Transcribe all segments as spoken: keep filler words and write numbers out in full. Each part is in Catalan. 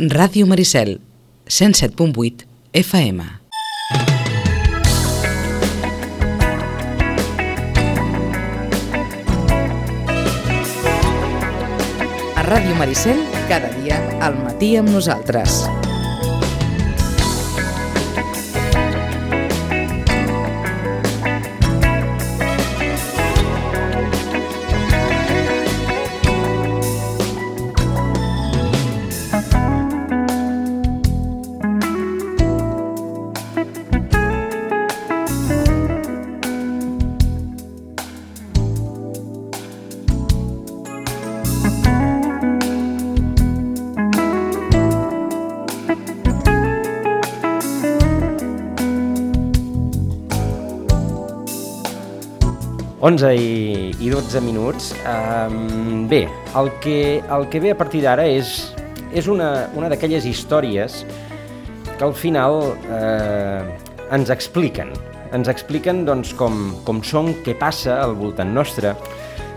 Ràdio Maricel, cent set punt vuit F M. A Ràdio Maricel, cada dia al matí amb nosaltres. onze i dotze minuts. Um, bé, el que, el que ve a partir d'ara és, és una, una d'aquelles històries que al final eh, ens expliquen. Ens expliquen doncs, com, com són, què passa al voltant nostre.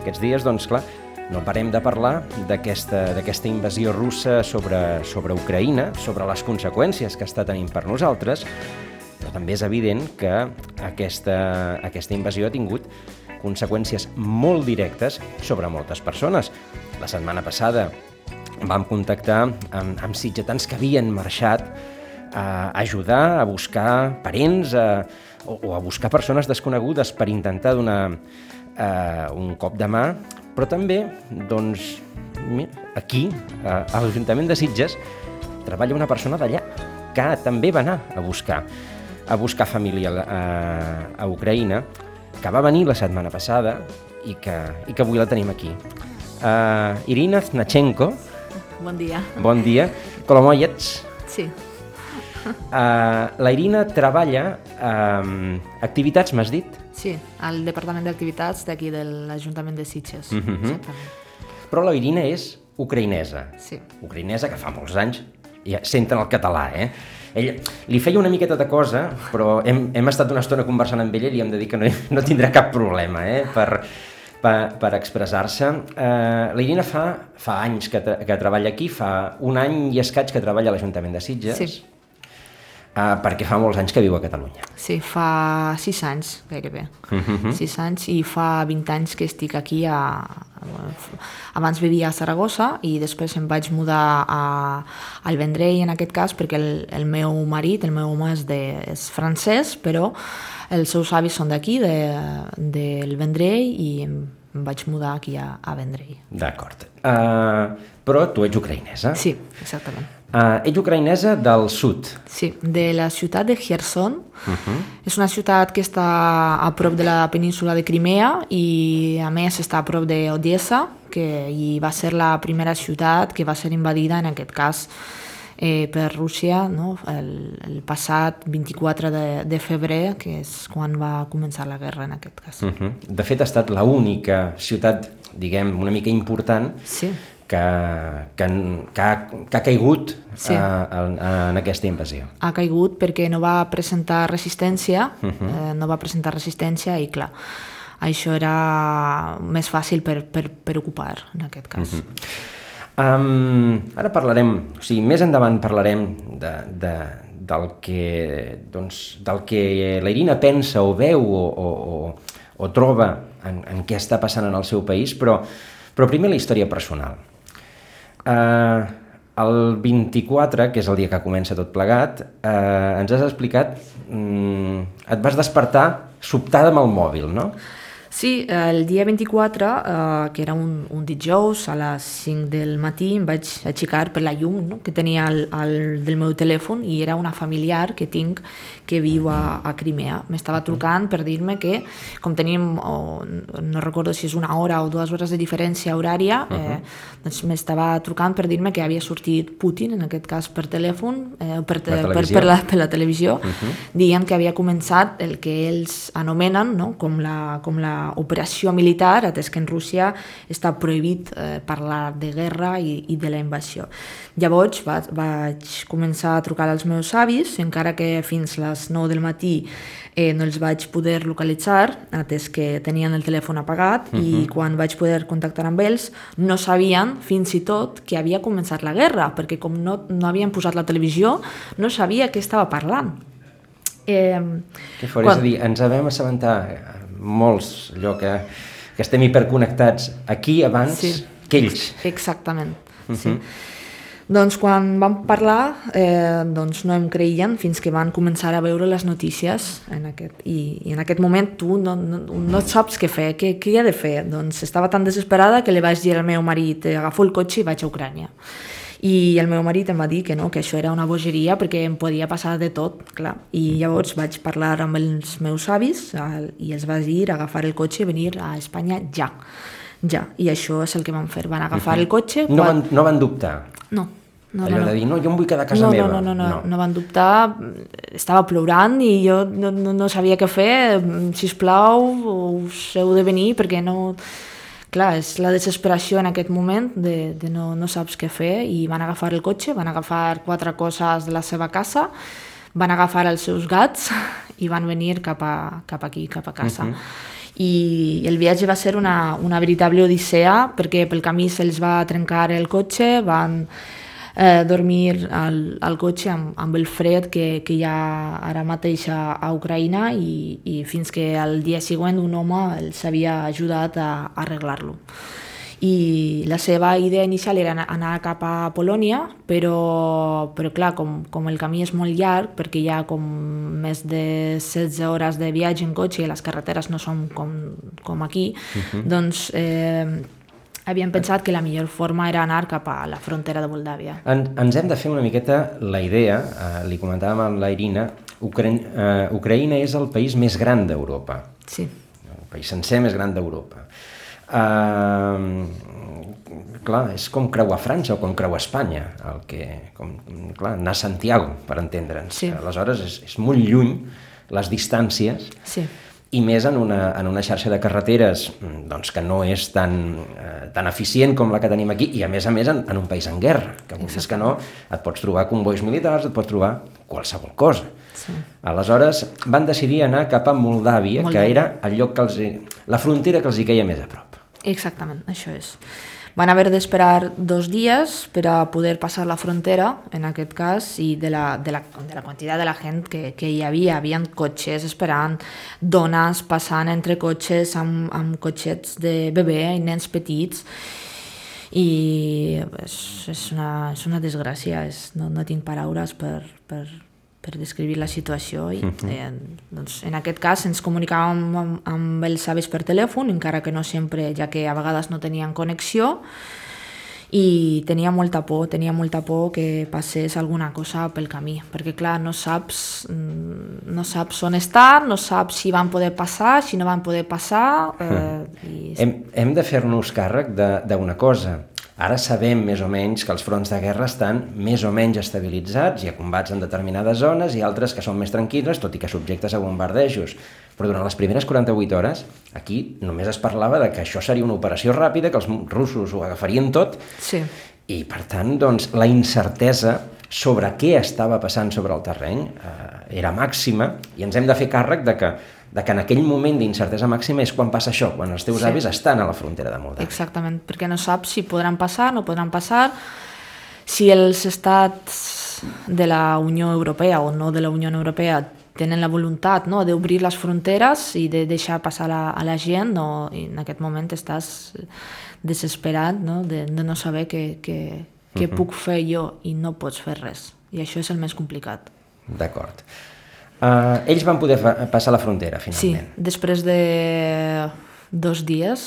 Aquests dies, doncs, clar, no parem de parlar d'aquesta d'aquesta invasió russa sobre, sobre Ucraïna, sobre les conseqüències que està tenint per nosaltres, però també és evident que aquesta, aquesta invasió ha tingut conseqüències molt directes sobre moltes persones. La setmana passada vam contactar amb, amb sitgetans que havien marxat a ajudar, a buscar parents a, o, o a buscar persones desconegudes per intentar donar eh, un cop de mà, però també, doncs, aquí, a, a l'Ajuntament de Sitges, treballa una persona d'allà que també va anar a buscar, a buscar família a, a Ucraïna, que va venir la setmana passada i que, i que avui la tenim aquí. Uh, Irina Znachenko. Bon dia. Bon dia. Kolomoyets. Sí. Uh, la Irina treballa um, activitats, m'has dit? Sí, al Departament d'Activitats d'aquí de l'Ajuntament de Sitges. Uh-huh. Exactament. Però la Irina és ucraïnesa. Sí. Ucraïnesa que fa molts anys ja senten el català, eh? Ell li feia una miqueta de cosa, però hem, hem estat una estona conversant amb ella i li hem de dir que no, no tindrà cap problema eh, per, per, per expressar-se. Uh, la Irina fa, fa anys que, que treballa aquí, fa un any i escaig que treballa a l'Ajuntament de Sitges, sí. uh, perquè fa molts anys que viu a Catalunya. Sí, fa sis anys gairebé, uh-huh. sis anys, i fa vint anys que estic aquí a... Abans vivia a Saragossa i després em vaig mudar a, al Vendrell, en aquest cas, perquè el, el meu marit, el meu home és, de, és francès, però els seus avis són d'aquí, de, del Vendrell, i em, em vaig mudar aquí a, a Vendrell. D'acord. Uh, però tu ets ucraïnesa? Sí, exactament. Uh, ets ucraïnesa del sud? Sí, de la ciutat de Kherson. Uh-huh. És una ciutat que està a prop de la península de Crimea i a més està a prop d'Odessa, que i va ser la primera ciutat que va ser invadida, en aquest cas, eh, per Rússia, no? el, el passat vint-i-quatre de, de febrer, que és quan va començar la guerra, en aquest cas. Uh-huh. De fet, ha estat l'única ciutat, diguem, una mica important, sí. que, que, que, ha, que ha caigut sí. a, a, en aquesta invasió. Ha caigut perquè no va presentar resistència, uh-huh. eh, no va presentar resistència i, clar, això era més fàcil per, per, per ocupar, en aquest cas. Uh-huh. Um, ara parlarem, o sigui, més endavant parlarem de, de, del, que, doncs, del que la Irina pensa o veu o, o, o, o troba en, en què està passant en el seu país, però, però primer la història personal. Uh, el vint-i-quatre, que és el dia que comença tot plegat, uh, ens has explicat, um, et vas despertar sobtada amb el mòbil, no? Sí, el dia vint-i-quatre, eh, que era un, un dijous, a les cinc del matí, em vaig aixecar per la llum, no?, que tenia al, al del meu telèfon, i era una familiar que tinc que viu a, a Crimea. M'estava trucant per dir-me que, com tenim, oh, no recordo si és una hora o dues hores de diferència horària, eh, uh-huh. doncs m'estava trucant per dir-me que havia sortit Putin, en aquest cas per telèfon, eh, per, te, per, per, la, per la televisió, uh-huh. dient que havia començat el que ells anomenen, no?, com la, com la operació militar, atès que en Rússia està prohibit eh, parlar de guerra i, i de la invasió. Llavors va, vaig començar a trucar als meus avis, encara que fins les nou del matí eh, no els vaig poder localitzar, atès que tenien el telèfon apagat, uh-huh. i quan vaig poder contactar amb ells no sabien fins i tot que havia començat la guerra, perquè com no, no havien posat la televisió, no sabia què estava parlant. Eh, que fort, quan... és a dir, ens vam assabentar molts, allò que, que estem hiperconnectats aquí abans sí, que ells. Exactament, uh-huh. sí. Doncs quan vam parlar, eh, doncs no em creien fins que van començar a veure les notícies en aquest, i, i en aquest moment tu no, no, no saps què fer, què, què hi ha de fer. Doncs estava tan desesperada que li vaig dir al meu marit, agafo el cotxe i vaig a Ucrània. I el meu marit em va dir que no, que això era una bogeria perquè em podia passar de tot, clar. I llavors vaig parlar amb els meus avis el, i els vaig dir agafar el cotxe i venir a Espanya ja. Ja, i això és el que van fer. Van agafar el cotxe... No van, no van dubtar? No. No, allò no, no. de dir, no, jo em vull quedar a casa no, meva. No, no, no, no, no van dubtar. Estava plorant i jo no, no, no sabia què fer. Sisplau, us heu de venir perquè no... Clar, és la desesperació en aquest moment de, de no, no saps què fer, i van agafar el cotxe, van agafar quatre coses de la seva casa, van agafar els seus gats i van venir cap, a, cap aquí, cap a casa. Uh-huh. I el viatge va ser una, una veritable odissea perquè pel camí se'ls va trencar el cotxe, van eh, dormir al, al cotxe amb, amb el fred que, que hi ha ara mateix a, a Ucraïna, i, i fins que al dia següent un home els havia ajudat a, a arreglar-lo. I la seva idea inicial era anar cap a Polònia, però, però clar, com, com el camí és molt llarg, perquè hi ha com més de setze hores de viatge en cotxe i les carreteres no són com, com aquí, uh-huh. doncs eh, havien pensat que la millor forma era anar cap a la frontera de Moldàvia. En, ens hem de fer una miqueta la idea, eh, li comentàvem amb la Irina, Ucra eh, Ucraïna és el país més gran d'Europa. Sí. El país sencer més gran d'Europa. Uh, clar, és com creuar França o com creuar Espanya, el que, com, clar, anar a Santiago, per entendre'ns. Sí. Aleshores és, és molt lluny les distàncies, sí. i més en una, en una xarxa de carreteres doncs, que no és tan, eh, tan eficient com la que tenim aquí, i a més a més en, en un país en guerra, que vulguis que no, et pots trobar convois militars, et pots trobar qualsevol cosa. Sí. Aleshores van decidir anar cap a Moldàvia, Moldàvia, que era el lloc que els, la frontera que els hi queia més a prop. Exactament, això és. Van haver d'esperar dos dies per a poder passar la frontera, en aquest cas, i de la, de la, de la quantitat de la gent que, que hi havia. Hi havia cotxes esperant, dones passant entre cotxes amb, amb cotxets de bebè i nens petits, i és, és, una, és una desgràcia, és, no, no tinc paraules per... per per descriure la situació. I, eh, doncs, en aquest cas ens comunicàvem amb, amb els avis per telèfon, encara que no sempre, ja que a vegades no tenien connexió, i tenia molta por, tenia molta por que passés alguna cosa pel camí, perquè clar, no saps, no saps on estar, no saps si van poder passar, si no van poder passar. Eh, i... hem, hem de fer-nos càrrec d'una cosa. Ara sabem més o menys que els fronts de guerra estan més o menys estabilitzats, hi ha combats en determinades zones i altres que són més tranquil·les, tot i que subjectes a bombardejos. Però durant les primeres quaranta-vuit hores, aquí només es parlava de que això seria una operació ràpida, que els russos ho agafarien tot, sí. I per tant, doncs, la incertesa sobre què estava passant sobre el terreny eh, era màxima, i ens hem de fer càrrec de que de que en aquell moment d'incertesa màxima és quan passa això, quan els teus sí. avis estan a la frontera de Moldàvia. Exactament, perquè no saps si podran passar, no podran passar, si els estats de la Unió Europea o no de la Unió Europea tenen la voluntat, no, d'obrir les fronteres i de deixar passar la, a la gent, no, i en aquest moment estàs desesperat, no, de, de no saber què, què, què uh-huh. puc fer jo, i no pots fer res, i això és el més complicat. D'acord. Uh, ells van poder fa- passar la frontera, finalment. Sí, després de dos dies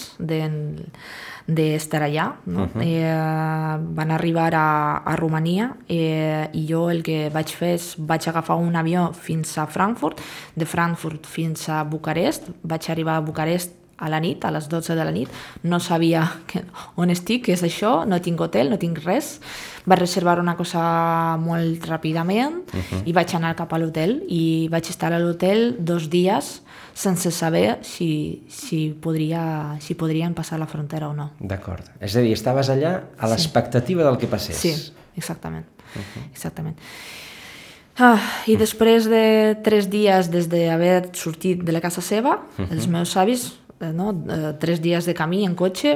d'estar allà, no? uh-huh. eh, van arribar a, a Romania, eh, i jo el que vaig fer és vaig agafar un avió fins a Frankfurt, de Frankfurt fins a Bucarest, vaig arribar a Bucarest a la nit, a les dotze de la nit, no sabia que, on estic, què és això, no tinc hotel, no tinc res. Vaig reservar una cosa molt ràpidament uh-huh. i vaig anar cap a l'hotel i vaig estar a l'hotel dos dies sense saber si, si, podria, si podrien passar la frontera o no. D'acord. És a dir, estaves allà a l'expectativa sí. del que passés. Sí, exactament. Uh-huh. exactament. Ah, I després de tres dies des d'haver sortit de la casa seva, uh-huh. els meus avis, no, tres dies de camí en cotxe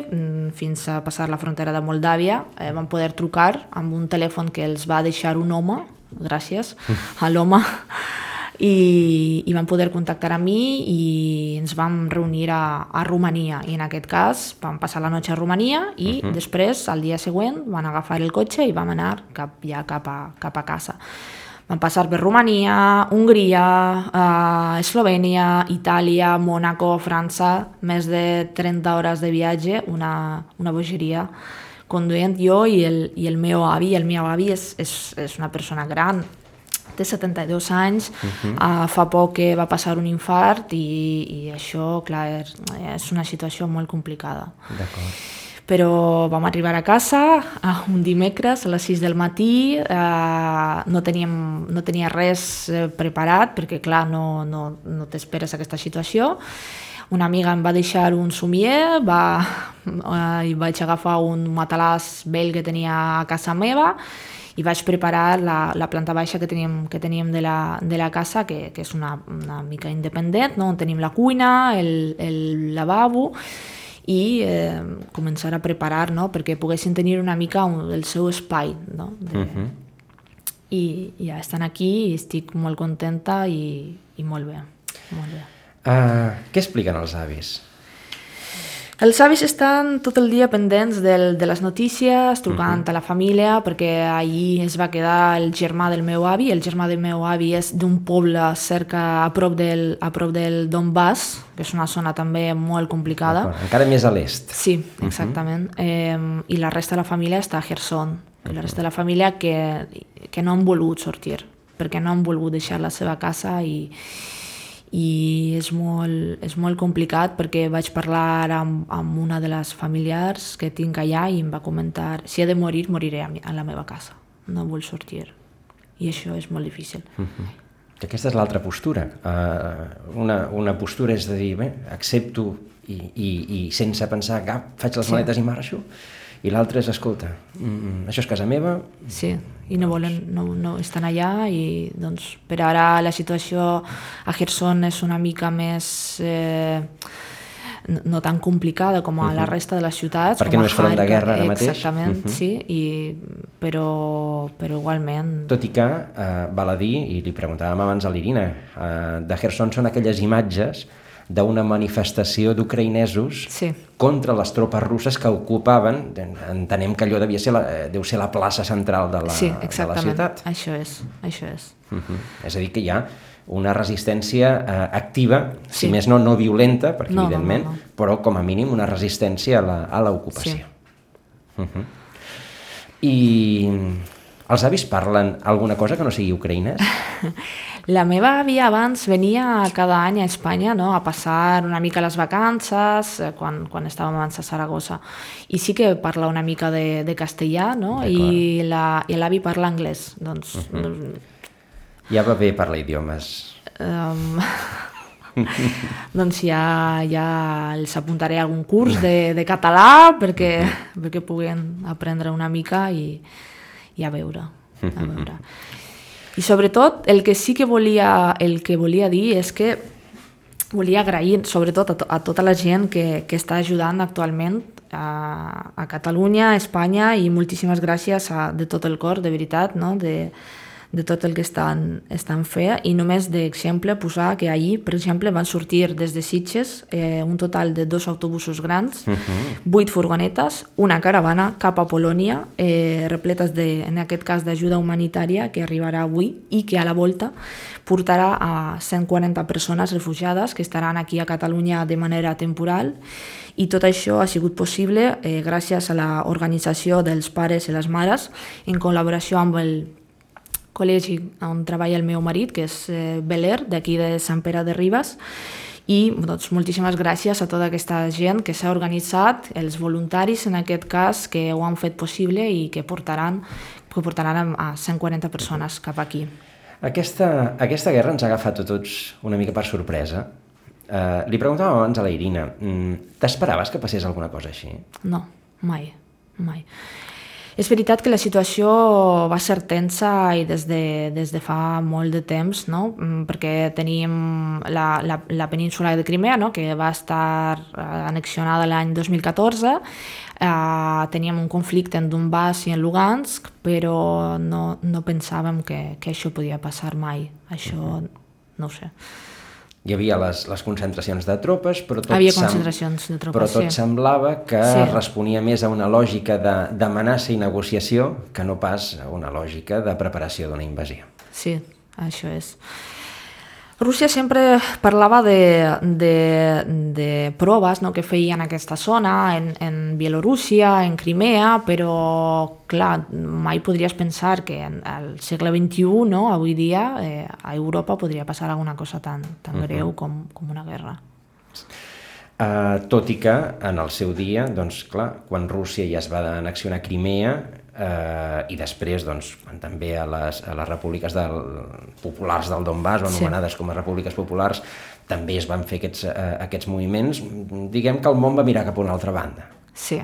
fins a passar la frontera de Moldàvia, eh, van poder trucar amb un telèfon que els va deixar un home, gràcies a l'home, i, i van poder contactar amb mi i ens vam reunir a, a Romania i en aquest cas vam passar la noche a Romania i uh-huh. després, al dia següent, van agafar el cotxe i vam anar cap, ja cap a, cap a casa. Vam passar per Romania, Hongria, uh, Eslovènia, Itàlia, Mònaco, França, més de trenta hores de viatge, una, una bogeria conduint jo i el, i el meu avi. El meu avi és, és, és una persona gran, té setanta-dos anys, uh-huh. uh, fa poc que va passar un infart i, i això, clar, és, és una situació molt complicada. D'acord. Però vam arribar a casa un dimecres a les sis del matí, eh, no, teníem, no tenia res preparat perquè clar, no, no, no t'esperes aquesta situació. Una amiga em va deixar un somier, va, eh, i vaig agafar un matalàs vell que tenia a casa meva i vaig preparar la, la planta baixa que teníem, que teníem de, la, de la casa, que, que és una, una mica independent, no? On tenim la cuina, el, el lavabo, i eh, començar a preparar, no? Perquè poguessin tenir una mica un, el seu espai. No? De... Uh-huh. I ja estan aquí i estic molt contenta i, i molt bé. Molt bé. Uh, què expliquen els avis? Els avis estan tot el dia pendents del, de les notícies, trucant uh-huh. a la família, perquè ahir es va quedar el germà del meu avi. El germà del meu avi és d'un poble cerca, a prop del, a prop del Donbass, que és una zona també molt complicada. Encara més a l'est. Sí, exactament. Uh-huh. eh, I la resta de la família està a Kherson. I la resta de la família que, que no han volgut sortir, perquè no han volgut deixar la seva casa i... i és molt, és molt complicat perquè vaig parlar amb, amb una de les familiars que tinc allà i em va comentar si he de morir, moriré a, mi, a la meva casa, no vull sortir i això és molt difícil. Uh-huh. Aquesta és l'altra postura, uh, una, una postura és de dir, bé, accepto i, i, i sense pensar cap, faig les maletes sí. i marxo, i l'altra és, escolta, mm, això és casa meva. Sí, i no volen, no, no estan allà i doncs per ara la situació a Kherson és una mica més eh, no, no tan complicada com a uh-huh. la resta de les ciutats. Perquè com no és front de guerra ara mateix. Exactament, uh-huh. sí, i, però, però igualment... Tot i que, eh, val a dir, i li preguntàvem abans a l'Irina, eh, de Kherson són aquelles imatges d'una manifestació d'ucraïnesos sí. contra les tropes russes que ocupaven, entenem que allò devia ser la, deu ser la plaça central de la, sí, de la ciutat. Això és, això és. Uh-huh. És a dir, que hi ha una resistència eh, activa, sí. si més no, no violenta, perquè no, evidentment, no, no, no. però com a mínim una resistència a la, a l'ocupació. Sí. Uh-huh. I els avis parlen alguna cosa que no sigui ucraïnès? La meva àvia abans venia cada any a Espanya, no? A passar una mica les vacances, quan, quan estàvem abans a Saragossa. I sí que parla una mica de, de castellà, no? I, la, i l'avi parla anglès. Doncs, uh-huh. Ja va bé parlar idiomes. Um, doncs ja, ja els apuntaré a algun curs de, de català perquè, perquè puguen aprendre una mica i, i a veure. A veure. I sobretot el que sí que volia, el que volia dir és que volia agrair sobretot a, to, a tota la gent que, que està ajudant actualment a, a Catalunya, a Espanya i moltíssimes gràcies a, de tot el cor, de veritat, no? de, de tot el que estan, estan fent i només d'exemple posar que ahir, per exemple, van sortir des de Sitges eh, un total de dos autobusos grans, uh-huh. vuit furgonetes, una caravana cap a Polònia, eh, repletes de, en aquest cas d'ajuda humanitària que arribarà avui i que a la volta portarà a cent quaranta persones refugiades que estaran aquí a Catalunya de manera temporal i tot això ha sigut possible eh, gràcies a l'organització dels pares i les mares en col·laboració amb el col·legi on treballa el meu marit, que és eh, Beler, d'aquí de Sant Pere de Ribes, I doncs, moltíssimes gràcies a tota aquesta gent que s'ha organitzat, els voluntaris en aquest cas, que ho han fet possible i que portaran, que portaran a cent quaranta persones cap aquí. Aquesta, aquesta guerra ens ha agafat a tots una mica per sorpresa. Uh, li preguntàvem abans a la Irina, mm, t'esperaves que passés alguna cosa així? No, mai, mai. És veritat que la situació va ser tensa i des de, des de fa molt de temps, no? Perquè teníem la, la, la península de Crimea, no? Que va estar annexionada l'any dos mil catorze, eh, teníem un conflicte en Donbass i en Lugansk, però no, no pensàvem que, que això podia passar mai. Això, no ho sé. Hi havia les, les concentracions de tropes, però tot, Havia sem... concentracions de tropes, però tot sí. semblava que Sí. responia més a una lògica d'amenaça i negociació que no pas a una lògica de preparació d'una invasió. Sí, això és. Rússia sempre parlava de, de, de proves, no?, que feia en aquesta zona, en, en Bielorússia, en Crimea, però, clar, mai podries pensar que en el segle vint-i-u, no?, avui dia, eh, a Europa podria passar alguna cosa tan, tan uh-huh. greu com, com una guerra. Uh, tot i que, en el seu dia, doncs, clar, quan Rússia ja es va annexionar Crimea, Uh, i després doncs, també a les, a les repúbliques del, populars del Donbass, o anomenades sí. com a repúbliques populars, també es van fer aquests, uh, aquests moviments. Diguem que el món va mirar cap a una altra banda. Sí.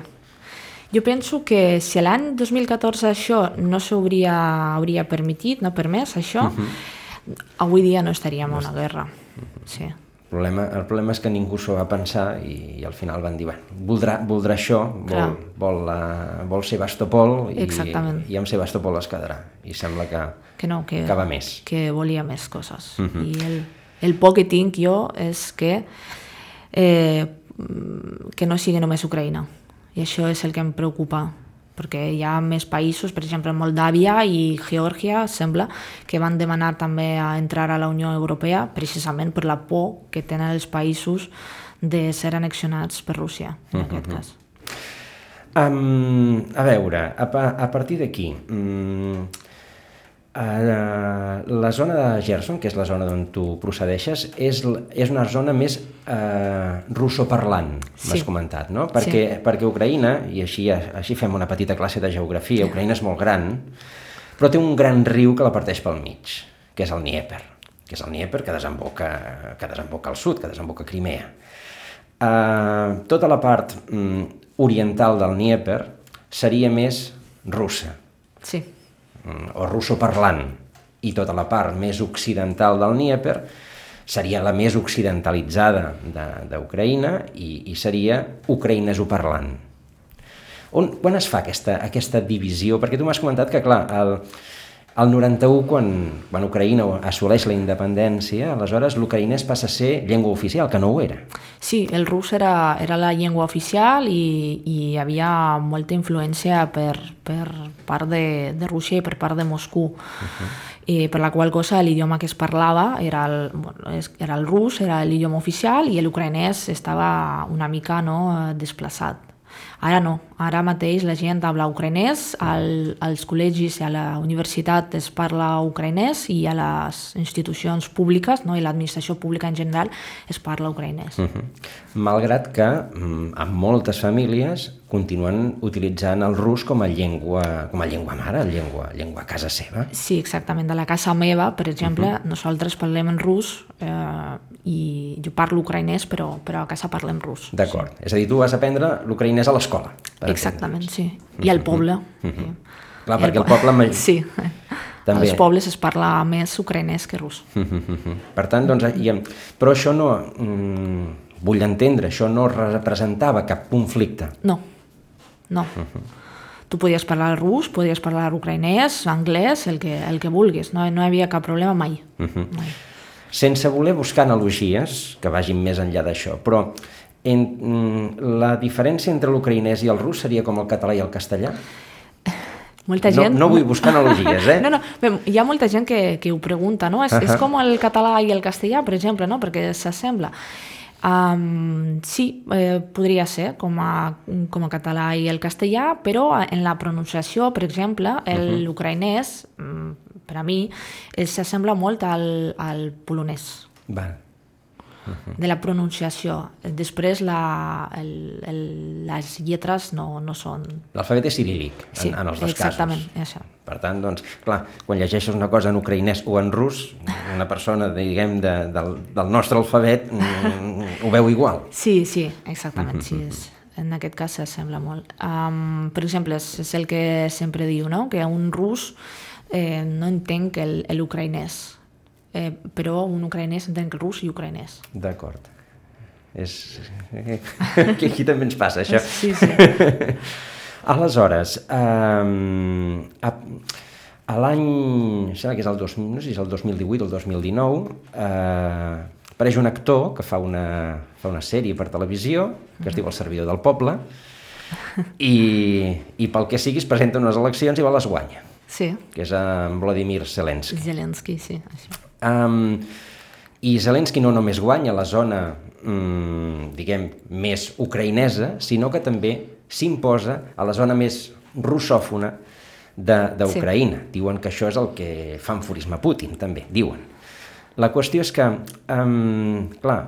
Jo penso que si l'any dos mil catorze això no s'hauria hauria permitit, no permès això, uh-huh. avui dia no estaríem en una guerra. Uh-huh. Sí. El problema, el problema és que ningú s'ho va pensar i, i al final van dir, bueno, voldrà, voldrà això, vol, vol, uh, vol Sebastopol i, i amb Sebastopol es quedarà. I sembla que, que, no, que, que va més. Que volia més coses. Uh-huh. I el, el por que tinc jo és que, eh, que no sigui només Ucraïna. I això és el que em preocupa, perquè hi ha més països, per exemple Moldàvia i Geòrgia, sembla, que van demanar també a entrar a la Unió Europea precisament per la por que tenen els països de ser annexionats per Rússia, en uh-huh. aquest cas. Um, a veure, a, a partir d'aquí, um, uh, la zona de Gerson, que és la zona d'on tu procedeixes, és, és una zona més uh, russoparlant, sí. m'has comentat, no? Perquè, sí. perquè Ucraïna, i així, així fem una petita classe de geografia, sí. Ucraïna és molt gran, però té un gran riu que la parteix pel mig, que és el Dnieper, que és el Dnieper que desemboca, que desemboca al sud, que desemboca a Crimea. Uh, tota la part um, oriental del Dnieper seria més russa. Sí. O russoparlant, i tota la part més occidental del Dnieper seria la més occidentalitzada d'Ucraïna i, i seria ucraïnesoparlant. On, quan es fa aquesta, aquesta divisió? Perquè tu m'has comentat que, clar, el, el noranta-u, quan, quan Ucraïna assoleix la independència, aleshores l'ucraïnès passa a ser llengua oficial, que no ho era. Sí, el rus era, era la llengua oficial i, i hi havia molta influència per, per part de, de Rússia i per part de Moscou. Uh-huh. I per la qual cosa l'idioma que es parlava era el, bueno, era el rus, era l'idioma oficial, i l'ucraïnès estava una mica, no, desplaçat. Ara no, ara mateix la gent habla ucraïnès, al, als col·legis i a la universitat es parla ucraïnès i a les institucions públiques, no, i l'administració pública en general es parla ucraïnès. Uh-huh. Malgrat que en moltes famílies continuen utilitzant el rus com a llengua, com a llengua mare, llengua, llengua a casa seva. Sí, exactament. De la casa meva, per exemple, uh-huh. nosaltres parlem en rus eh, i jo parlo ucraïnès, però, però a casa parlem rus. D'acord. Sí. És a dir, tu vas aprendre l'ucraïnès a l'escola. Exactament, sí. I al poble. Uh-huh. Sí. Clar, perquè el poble... Sí. També. Als pobles es parla més ucraïnès que rus. Uh-huh. Per tant, doncs, i, però això no... Mm, vull entendre, això no representava cap conflicte. No. No. Uh-huh. Tu podies parlar rus, podies parlar ucraïnès, anglès, el que, el que vulguis. No, no hi havia cap problema mai. Uh-huh. mai. Sense voler buscar analogies que vagin més enllà d'això, però en, la diferència entre l'ucraïnès i el rus seria com el català i el castellà? Molta gent... No, no vull buscar analogies, eh? No, no, bé, hi ha molta gent que, que ho pregunta, no? És, uh-huh. és com el català i el castellà, per exemple, no? Perquè s'assembla. Um, sí, eh, podria ser com a, com a català i el castellà, però en la pronunciació, per exemple, l'ucraïnès, uh-huh. per a mi, s'assembla molt al, al polonès. Val. de la pronunciació. Després la, el, el, les lletres no, no són... L'alfabet és ciríl·lic, sí, en, en els dos exactament, casos. Això. Per tant, doncs, clar, quan llegeixes una cosa en ucraïnès o en rus, una persona, diguem, de, del, del nostre alfabet mm, ho veu igual. Sí, sí, exactament, sí, és, en aquest cas s'assembla molt. Um, per exemple, és, és el que sempre diu, no? Que un rus eh, no entenc l'ucraïnès, eh, però un ucraïnès entén rus i ucraïnès. D'acord. És... Aquí, aquí també ens passa, això. Sí, sí. Aleshores, um, a, a l'any, sembla que és el, dos, no sé si és el dos mil divuit o el dos mil dinou, eh, apareix un actor que fa una, fa una sèrie per televisió, que es diu El servidor del poble, i, i pel que sigui es presenta unes eleccions i va les guanya, Sí. que és en Vladimir Zelensky. Zelensky, sí. Això. Um, I Zelensky no només guanya la zona, mm, diguem, més ucraïnesa, sinó que també s'imposa a la zona més russòfona d'Ucraïna. Sí. Diuen que això és el que fa enfurisme a Putin, també, diuen. La qüestió és que, um, clar,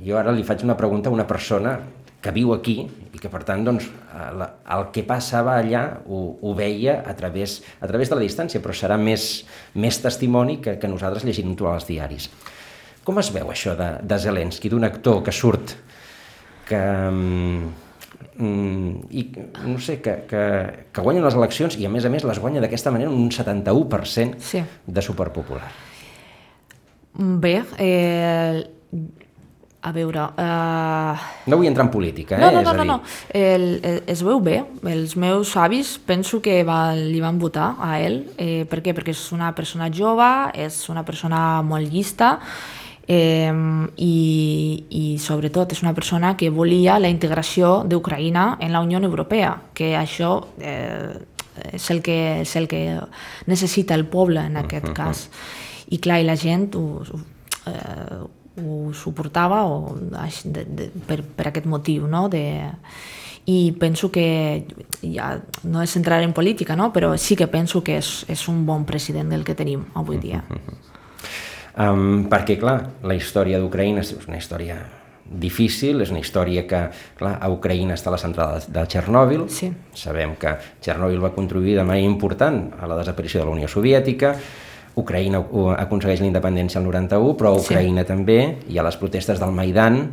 jo ara li faig una pregunta a una persona que viu aquí i que, per tant, doncs, el, el que passava allà ho, ho veia a través, a través de la distància, però serà més, més testimoni que, que nosaltres llegim-ho als diaris. Com es veu això de, de Zelensky, d'un actor que surt, que... Mm, i no sé, que, que, que guanya les eleccions i a més a més les guanya d'aquesta manera un setanta-u per cent sí. de superpopular? Bé, eh, a veure... Eh... No vull entrar en política, eh? No, no, no, és a dir... no, no. El, el, es veu bé. Els meus avis penso que va, li van votar a ell. Eh, per què? Perquè és una persona jove, és una persona molt llista, Eh, i, i sobretot és una persona que volia la integració d'Ucraïna en la Unió Europea, que això eh, és, el que, és el que necessita el poble en aquest cas. I clar, i la gent ho, eh, ho suportava o, de, de, per, per aquest motiu, no? De, i penso que, ja no és entrar en política, no? Però sí que penso que és, és un bon president el que tenim avui dia. Um, perquè, clar, la història d'Ucraïna és una història difícil, és una història que, clar, a Ucraïna està a la central de Txernòbil. Sí. Sabem que Txernòbil va contribuir de manera important a la desaparició de la Unió Soviètica, Ucraïna aconsegueix la independència al noranta-u, però a Ucraïna sí. també hi ha les protestes del Maidan,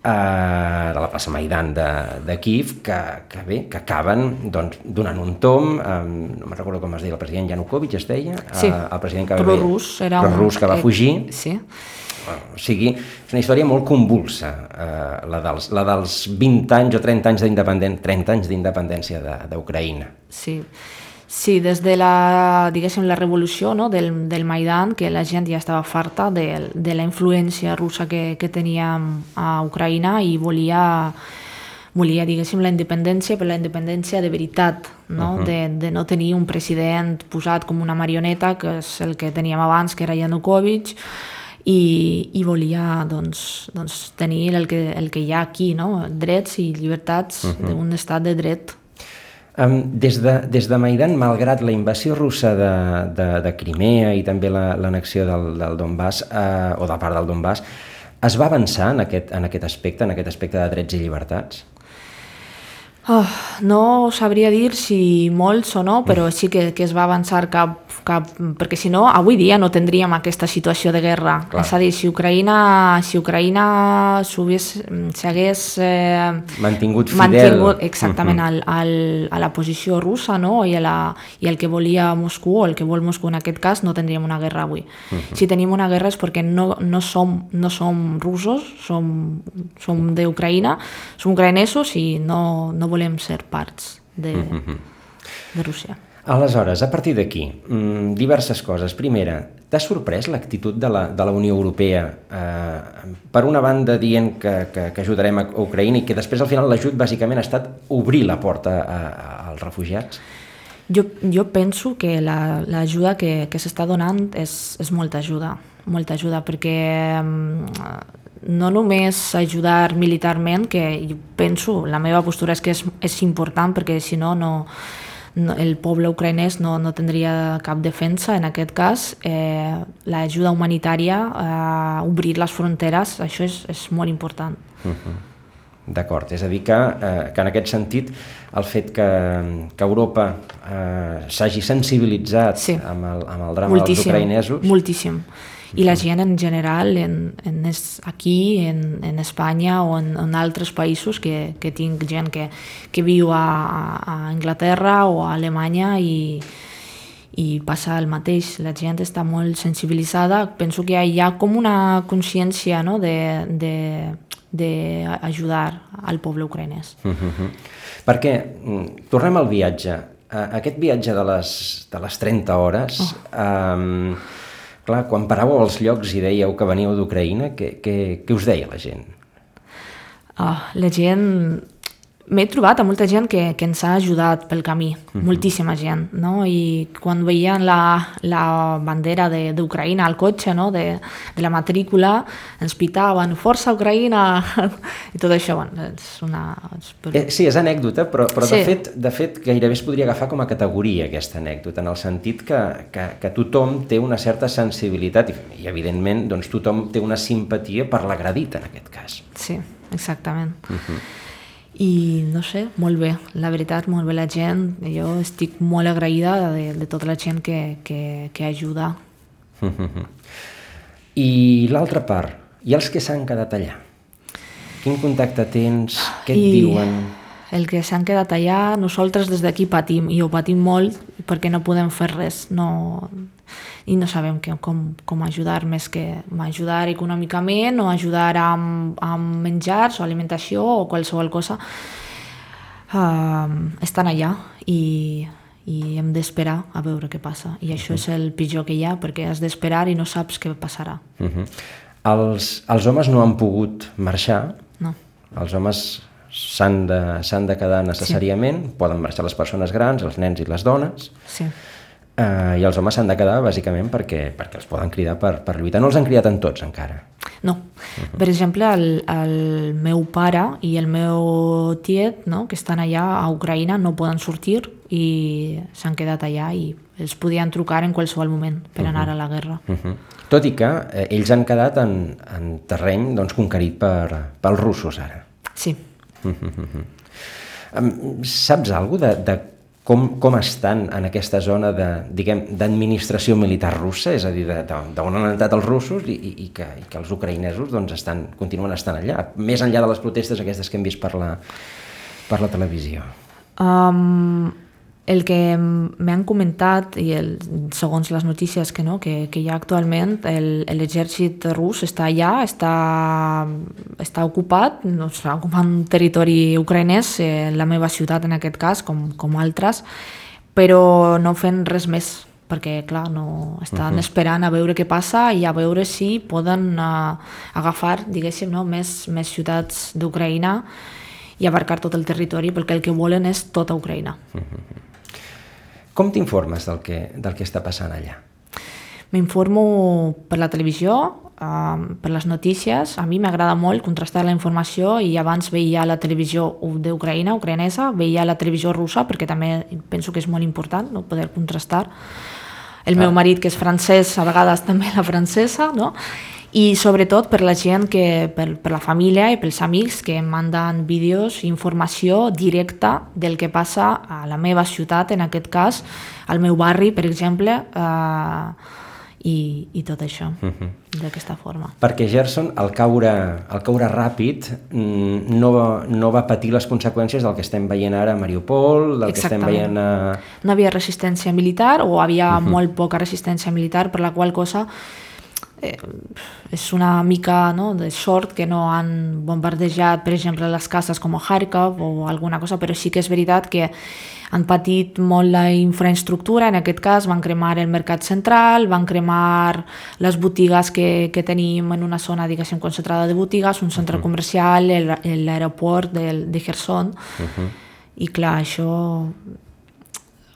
Uh, de la plaça Maidan de, de Kíev, que, que bé, que acaben doncs, donant un tom, um, no me'n recordo com es deia, el president Yanukovych es deia, sí. uh, el president que, Pro-rus, era pro-rus que va fugir. Sí. Uh, o sigui, és una història molt convulsa, uh, la, dels, la dels vint anys o trenta anys d'independència, trenta anys d'independència d'Ucraïna. Sí. Sí, des de la, diguéssim, la revolució, no? del, del Maidan, que la gent ja estava farta de, de la influència russa que, que teníem a Ucraïna i volia, volia, diguéssim, la independència, però la independència de veritat, no? Uh -huh. de, de no tenir un president posat com una marioneta, que és el que teníem abans, que era Yanukovych, i, i volia doncs, doncs, tenir el que, el que hi ha aquí, no? Drets i llibertats uh -huh. d'un estat de dret. Um, des, de, des de Maidan, malgrat la invasió russa de, de, de Crimea i també l'annexió la, del, del Donbass, eh, o de part del Donbass, es va avançar en aquest, en aquest aspecte, en aquest aspecte de drets i llibertats? Oh, no sabria dir si molts o no, però sí que, que es va avançar cap, cap... Perquè si no, avui dia no tindríem aquesta situació de guerra. Clar. És a dir, si Ucraïna si Ucraïna s'hagués eh, mantingut fidel mantingut, exactament uh -huh. al, al, a la posició russa, no? I, a la, i el que volia Moscou, o el que vol Moscou en aquest cas, no tindríem una guerra avui. Uh -huh. Si tenim una guerra és perquè no, no, som, no som russos, som, som d'Ucraïna, som ucraïnesos i no, no volem ser parts de, de Rússia. Aleshores, a partir d'aquí, diverses coses. Primera, t'ha sorprès l'actitud de la, de la Unió Europea? Eh, per una banda, dient que, que, que ajudarem a Ucraïna i que després, al final, l'ajut bàsicament ha estat obrir la porta a, a, als refugiats? Jo, jo penso que l'ajuda la, que, que s'està donant és, és molta ajuda, molta ajuda, perquè no només ajudar militarment, que jo penso, la meva postura és que és, és important, perquè si no, no, no, el poble ucraïnès no, no tindria cap defensa. En aquest cas, eh, l'ajuda humanitària, eh, obrir les fronteres, això és, és molt important. Uh-huh. D'acord, és a dir que, eh, que en aquest sentit el fet que, que Europa eh, s'hagi sensibilitzat sí. amb, el, amb el drama moltíssim, dels ucraïnesos... Moltíssim. I la gent en general, en, en es, aquí, en, en Espanya o en, en altres països, que, que tinc gent que, que viu a, a Anglaterra o a Alemanya i, i passa el mateix. La gent està molt sensibilitzada. Penso que hi ha com una consciència, no?, de, de, d'ajudar al poble ucraïnès. Uh-huh. Perquè, tornem al viatge. Aquest viatge de les, de les trenta hores... Oh. Um, Clar, quan paràveu als llocs i dèieu que veníeu d'Ucraïna, què, què, què us deia la gent? Oh, la gent... M'he trobat a molta gent que, que ens ha ajudat pel camí, uh-huh. moltíssima gent, no? I quan veien la, la bandera d'Ucraïna al cotxe, no?, de, de la matrícula, ens pitaven, força Ucraïna, i tot això, bueno, és una... Eh, sí, és anècdota, però, però sí. de, fet, de fet gairebé es podria agafar com a categoria aquesta anècdota, en el sentit que, que, que tothom té una certa sensibilitat i, i evidentment, doncs, tothom té una simpatia per l'agredit, en aquest cas. Sí, exactament. Uh-huh. I no sé, molt bé, la veritat, molt bé la gent. Jo estic molt agraïda de, de tota la gent que, que, que ajuda. I l'altra part, i els que s'han quedat allà? Quin contacte tens? Què et I diuen? El que s'han quedat allà, nosaltres des d'aquí patim, i ho patim molt perquè no podem fer res, no... i no sabem que, com, com ajudar més que ajudar econòmicament o ajudar amb, amb menjars o alimentació o qualsevol cosa. Uh, estan allà i, i hem d'esperar a veure què passa. I això uh-huh. és el pitjor que hi ha, perquè has d'esperar i no saps què passarà. Uh-huh. els, els homes no han pogut marxar? No. Els homes s'han de, s'han de quedar necessàriament, sí. Poden marxar les persones grans, els nens i les dones. Sí. Uh, I els homes s'han de quedar bàsicament perquè, perquè els poden cridar per, per lluitar. No els han cridat en tots encara. No. Uh-huh. Per exemple, el, el meu pare i el meu tiet, no?, que estan allà a Ucraïna, no poden sortir i s'han quedat allà i els podien trucar en qualsevol moment per anar uh-huh. a la guerra. Uh-huh. Tot i que eh, ells han quedat en, en terreny, doncs, conquerit per, pels russos ara. Sí. Uh-huh. Um, saps alguna cosa de, de Com, com estan en aquesta zona de, diguem, d'administració militar russa, és a dir, d'on han entrat els russos i, i, que, i que els ucraïnesos doncs, estan, continuen estant allà, més enllà de les protestes aquestes que hem vist per la, per la televisió? Um, el que m'han comentat, i el, segons les notícies que, no, que, que hi ha actualment, el, l'exèrcit rus està allà, està, està ocupat, no, està ocupant territori ucraïnès, eh, la meva ciutat en aquest cas, com, com altres, però no fent res més, perquè clar, no, estan uh-huh. esperant a veure què passa i a veure si poden uh, agafar, diguéssim, no, més, més ciutats d'Ucraïna i abarcar tot el territori, perquè el que volen és tota Ucraïna. Uh-huh. Com t'informes del que, del que està passant allà? M'informo per la televisió, um, per les notícies. A mi m'agrada molt contrastar la informació i abans veia la televisió d'Ucraïna, ucraïnesa, veia la televisió russa, perquè també penso que és molt important, no?, poder contrastar. El ah. meu marit, que és francès, a vegades també la francesa, no?, i sobretot per la gent, que, per, per la família i pels amics que em manden vídeos i informació directa del que passa a la meva ciutat, en aquest cas, al meu barri, per exemple, eh, i, i tot això, uh-huh. d'aquesta forma. Perquè Gerson, al caure, al caure ràpid, no va, no va patir les conseqüències del que estem veient ara a Mariupol, del que estem veient a... No havia resistència militar o havia uh-huh. molt poca resistència militar, per la qual cosa eh, és una mica, no, de sort que no han bombardejat, per exemple, les cases com a Kharkov o alguna cosa, però sí que és veritat que han patit molt la infraestructura. En aquest cas van cremar el mercat central, van cremar les botigues que, que tenim en una zona, diguéssim, concentrada de botigues, un centre uh-huh. comercial, el, l'aeroport de, de Kherson. Uh-huh. I clar, això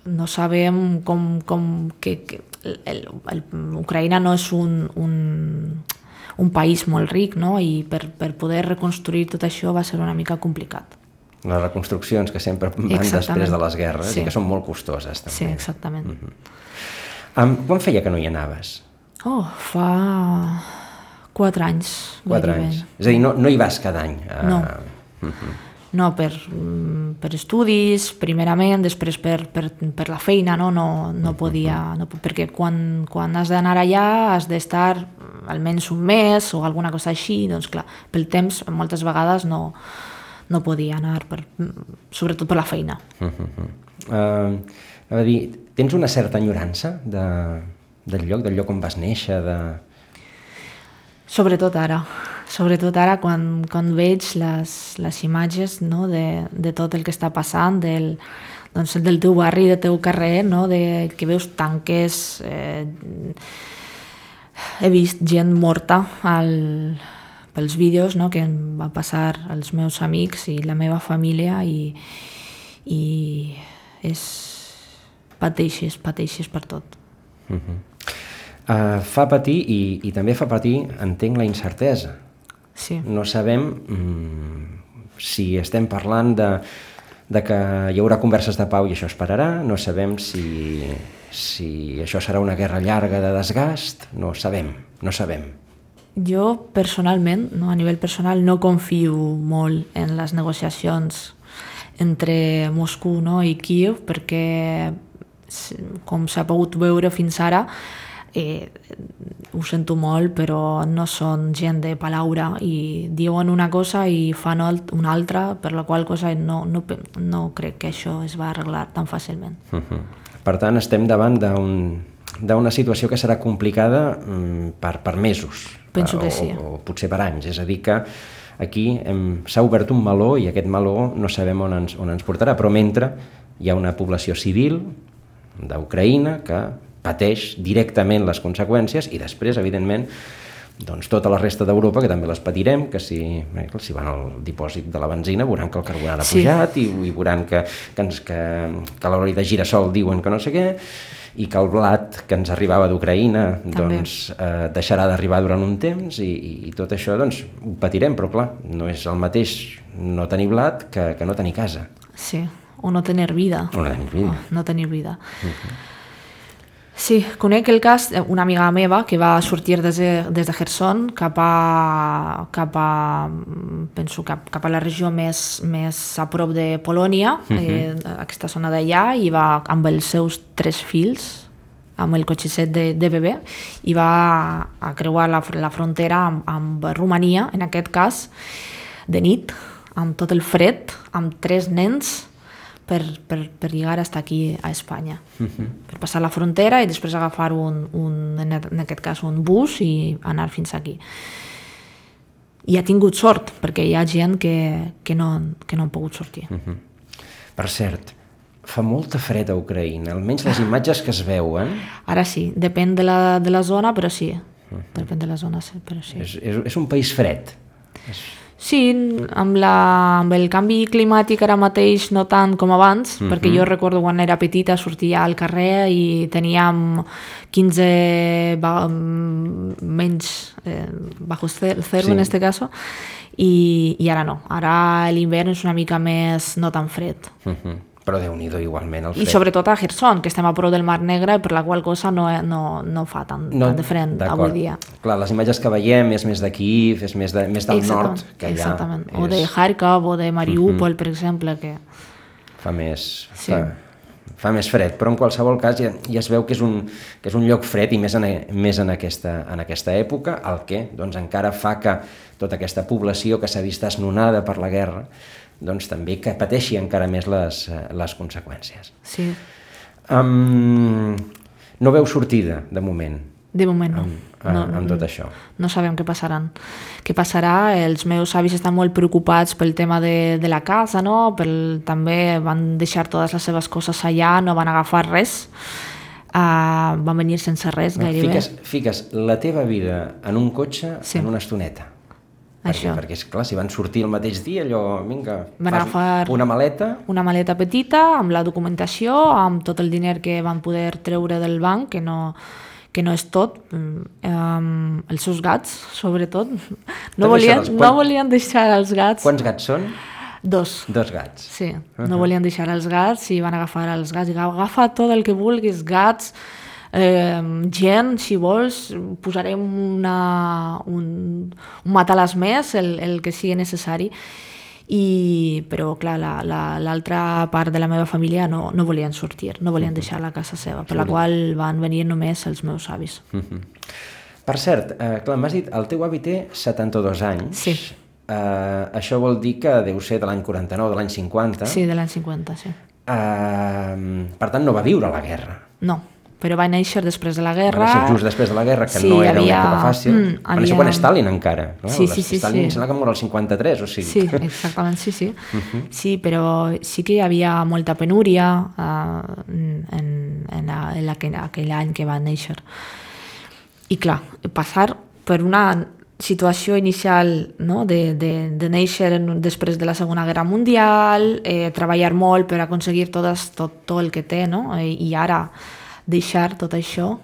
no sabem com... com que, que el, el, el, Ucraïna no és un, un, un país molt ric, no? I per, per poder reconstruir tot això va ser una mica complicat. les reconstruccions que sempre van Exactament. després de les guerres Sí. i que són molt costoses també. Sí, exactament. Mm-hmm. Um, quan feia que no hi anaves? Oh, fa quatre anys. Quatre gairebé. anys. És a dir, no, no hi vas cada any? A... No. Mm-hmm. No, per, mm, per estudis, primerament, després per, per, per la feina, no, no, no podia, no, perquè quan, quan has d'anar allà has d'estar almenys un mes o alguna cosa així, doncs clar, pel temps moltes vegades no, no podia anar, per, sobretot per la feina. Uh-huh. Uh, a dir, tens una certa enyorança de, del lloc, del lloc on vas néixer? De... Sobretot ara, sobretot ara quan, quan veig les, les imatges, no, de, de tot el que està passant, del, doncs, del teu barri, del teu carrer, no, de, que veus tanques, eh, he vist gent morta al, pels vídeos, no, que em va passar als meus amics i la meva família i, i és pateixes, pateixes per tot. Uh-huh. Uh, fa patir i, i també fa patir, entenc, la incertesa. Sí. No sabem mm, si estem parlant de, de que hi haurà converses de pau i això es pararà, no sabem si, si això serà una guerra llarga de desgast, no sabem, no sabem. Jo personalment, no, a nivell personal, no confio molt en les negociacions entre Moscou, no, i Kíev, perquè com s'ha pogut veure fins ara, Eh, ho sento molt, però no són gent de paraula i diuen una cosa i fan una altra, per la qual cosa no, no, no crec que això es va arreglar tan fàcilment. Uh-huh. Per tant, estem davant d'una situació que serà complicada um, per, per mesos. Penso que o, sí. O, o potser per anys. És a dir que aquí s'ha obert un meló i aquest meló no sabem on ens, on ens portarà, però mentre hi ha una població civil d'Ucraïna que pateix directament les conseqüències i després, evidentment, doncs, tota la resta d'Europa, que també les patirem, que si, eh, si van al dipòsit de la benzina veuran que el carburant ha sí. pujat i, i veuran que, que, ens, que, que l'oli de girassol diuen que no sé què i que el blat que ens arribava d'Ucraïna doncs, eh, deixarà d'arribar durant un temps i, i tot això doncs, ho patirem, però clar, no és el mateix no tenir blat que, que no tenir casa. Sí, o no tenir vida. O no tenir vida. Oh, no tenir vida. Uh-huh. Sí, conec el cas d'una amiga meva que va sortir des de, des de Kherson cap a, cap a, penso, cap, cap a la regió més, més a prop de Polònia, uh-huh. eh, aquesta zona d'allà, i va amb els seus tres fills, amb el cotxet de, de bebè, i va a creuar la, la frontera amb, amb Romania, en aquest cas, de nit, amb tot el fred, amb tres nens, Per, per, per llegar hasta aquí a Espanya. Uh-huh. Per passar la frontera i després agafar un, un, en aquest cas un bus i anar fins aquí. I ha tingut sort, perquè hi ha gent que, que, no, que no han pogut sortir. Uh-huh. Per cert, fa molta fred a Ucraïna, almenys les imatges que es veuen. Ara sí, depèn de la, de la zona, però sí. Uh-huh. Depèn de la zona, però sí. És, és, és un país fred. És... Sí, amb, la, amb el canvi climàtic ara mateix no tant com abans, uh-huh. perquè jo recordo quan era petita sortia al carrer i teníem quinze ba, menys eh, bajo zero sí. en este caso, i, i ara no, ara l'hivern és una mica més no tan fred. Uh-huh. Però Déu-n'hi-do igualment el fred. I sobretot a Kherson, que estem a prop del Mar Negre, per la qual cosa no, no, no fa tant, no, tant de fred avui dia. Clar, les imatges que veiem és més d'aquí, és més, de, més del exactament, nord que allà. Exactament, és... o de Kharkov o de Mariupol, uh-huh. per exemple, que... Fa més... Sí. Fa, fa més fred, però en qualsevol cas ja, ja es veu que és un, que és un lloc fred i més en, més en, aquesta, en aquesta època, el que doncs, encara fa que tota aquesta població que s'ha vist esnonada per la guerra doncs també que pateixi encara més les, les conseqüències. Sí. Um, no veu sortida, de moment. De moment no. Amb, no, amb tot això. No sabem què passaran. Què passarà? Els meus avis estan molt preocupats pel tema de, de la casa, no? Pel, també van deixar totes les seves coses allà, no van agafar res. Uh, van venir sense res, gairebé. Fiques, fiques la teva vida en un cotxe sí. en una estoneta. Això. Perquè, perquè, és clar, si van sortir el mateix dia, allò, vinga, van agafar una maleta... Una maleta petita, amb la documentació, amb tot el diner que van poder treure del banc, que no, que no és tot, um, els seus gats, sobretot. No volien, Quan... no volien deixar els gats. Quants gats són? Dos. Dos gats. Sí, no uh-huh. volien deixar els gats i van agafar els gats. I agafa tot el que vulguis, gats, eh, gent, si vols, posarem una, un, un matalàs més, el, el que sigui necessari. I, però clar, la, la, l'altra part de la meva família no, no volien sortir, no volien deixar la casa seva, per la qual van venir només els meus avis. Uh-huh. Per cert, eh, clar, m'has dit, el teu avi té setanta-dos anys. Sí. Eh, això vol dir que deu ser de l'any quaranta-nou, de l'any cinquanta. Sí, de l'any cinquanta, sí. Eh, per tant, no va viure la guerra. No, però va néixer després de la guerra. Va néixer just després de la guerra, que sí, no era havia... una època fàcil. Mm, havia... Va néixer quan Stalin encara. No? Sí, sí, sí. Stalin sí. sembla que mor el cinquanta-tres, o sigui. Sí, exactament, sí, sí. Uh-huh. Sí, però sí que hi havia molta penúria uh, en, en, en aquell, aquell any que va néixer. I clar, passar per una situació inicial, no? de, de, de néixer després de la Segona Guerra Mundial, eh, treballar molt per aconseguir tot, tot, tot el que té, no? I, i ara deixar tot això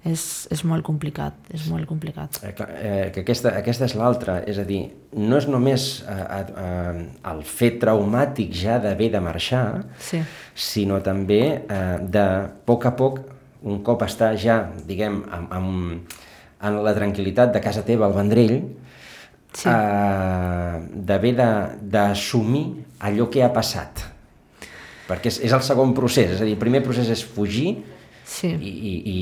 és, és molt complicat, és molt complicat. Eh, eh, que aquesta, aquesta és l'altra, és a dir, no és només eh, eh, el fet traumàtic ja d'haver de marxar, sí. sinó també eh, de poc a poc, un cop està ja, diguem, amb, amb, en la tranquil·litat de casa teva al Vendrell, sí. eh, d'haver de, d'assumir allò que ha passat. Perquè és, és el segon procés, és a dir, el primer procés és fugir, sí. i, i, i,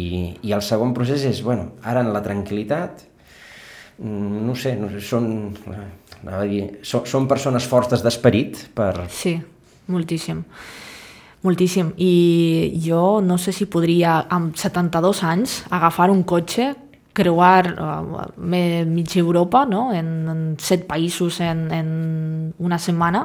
i el segon procés és, bueno, ara en la tranquil·litat, no sé, no sé són, anava a dir, són, són persones fortes d'esperit per... Sí, moltíssim. Moltíssim. I jo no sé si podria, amb setanta-dos anys, agafar un cotxe, creuar uh, mitja Europa, no? en, en set països en, en una setmana,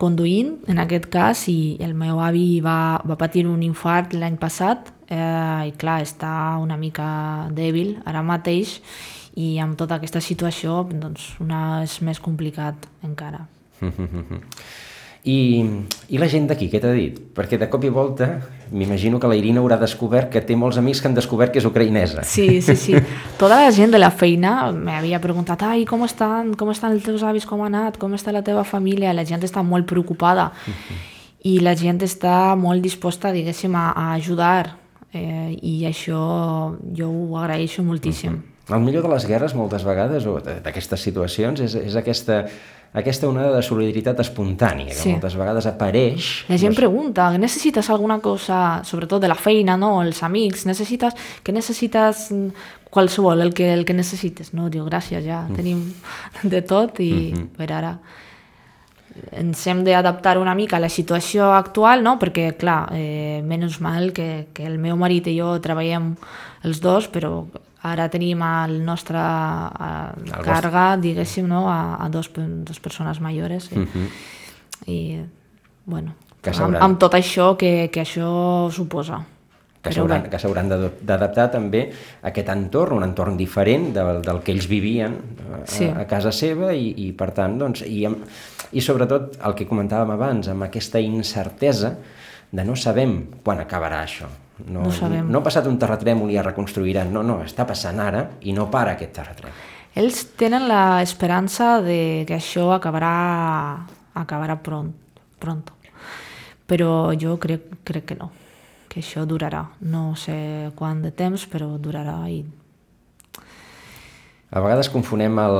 conduint, en aquest cas, i el meu avi va, va patir un infart l'any passat, eh, i clar, està una mica dèbil ara mateix, i amb tota aquesta situació doncs, una és més complicat encara. I, i la gent d'aquí, què t'ha dit? Perquè de cop i volta m'imagino que la Irina haurà descobert que té molts amics que han descobert que és ucraïnesa. Sí, sí, sí. Tota la gent de la feina m'havia preguntat, ai, com estan, com estan els teus avis, com ha anat, com està la teva família? La gent està molt preocupada uh-huh. i la gent està molt disposta, diguéssim, a, a ajudar eh, i això jo ho agraeixo moltíssim. Uh-huh. El millor de les guerres moltes vegades, o d'aquestes situacions, és, és aquesta... aquesta onada de solidaritat espontània, que sí. moltes vegades apareix... La gent pregunta, necessites alguna cosa, sobretot de la feina, no? Els amics, necessites, que necessites qualsevol, el que, el que necessites, no? Diu, gràcies, ja mm. tenim de tot i mm-hmm. per ara ens hem d'adaptar una mica a la situació actual, no? Perquè, clar, eh, menys mal que, que el meu marit i jo treballem els dos, però ara tenim el nostre eh, càrrega, diguéssim, no? a, a dos, dos persones majores. I, uh-huh. i bueno, amb, amb tot això que, que això suposa. Que s'hauran, que s'hauran d'adaptar també a aquest entorn, un entorn diferent del, del que ells vivien a, sí. a casa seva i, i per tant, doncs, i, amb, i sobretot el que comentàvem abans, amb aquesta incertesa de no sabem quan acabarà això. No, no, no ha passat un terratrèmol i ja reconstruiran, no, no, està passant ara i no para aquest terratrèmol. Ells tenen l'esperança de que això acabarà, acabarà pront, pronto, però jo crec, crec que no, que això durarà, no sé quant de temps, però durarà. I... A vegades confonem el,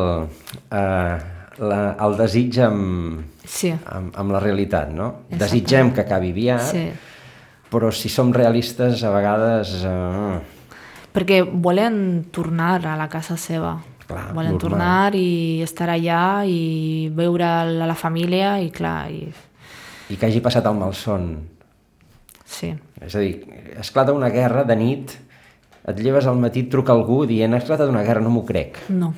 eh, la, el desig amb, sí. amb, amb la realitat, no? Exacte. Desitgem que acabi aviat, sí. però si som realistes a vegades... Eh... Perquè volen tornar a la casa seva, clar, volen normal. Tornar i estar allà i veure la, la família i clar... I... I que hagi passat el malson. Sí. És a dir, esclata una guerra de nit, et lleves al matí, et truca algú dient ha esclatat una guerra, no m'ho crec. No.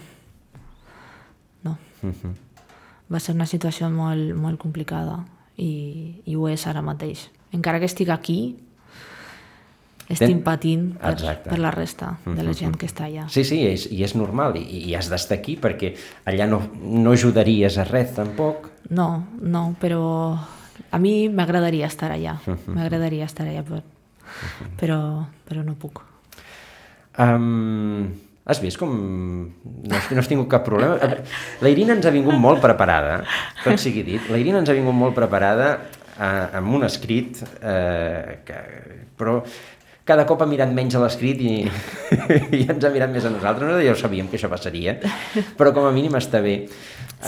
No. Uh-huh. Va ser una situació molt, molt complicada i, i ho és ara mateix. Encara que estic aquí, estic Ten... patint per, per la resta de la gent que està allà. Sí, sí, és, i és normal, i, i has d'estar aquí perquè allà no, no ajudaries a res tampoc. No, no, però a mi m'agradaria estar allà, m'agradaria estar allà, però, però, però no puc. Um, Has vist com no has, no has tingut cap problema? La Irina ens ha vingut molt preparada, tot sigui dit, la Irina ens ha vingut molt preparada eh, amb un escrit, eh, que, però cada cop ha mirat menys a l'escrit i, i ens ha mirat més a nosaltres. No, ja ho sabíem que això passaria, però com a mínim està bé.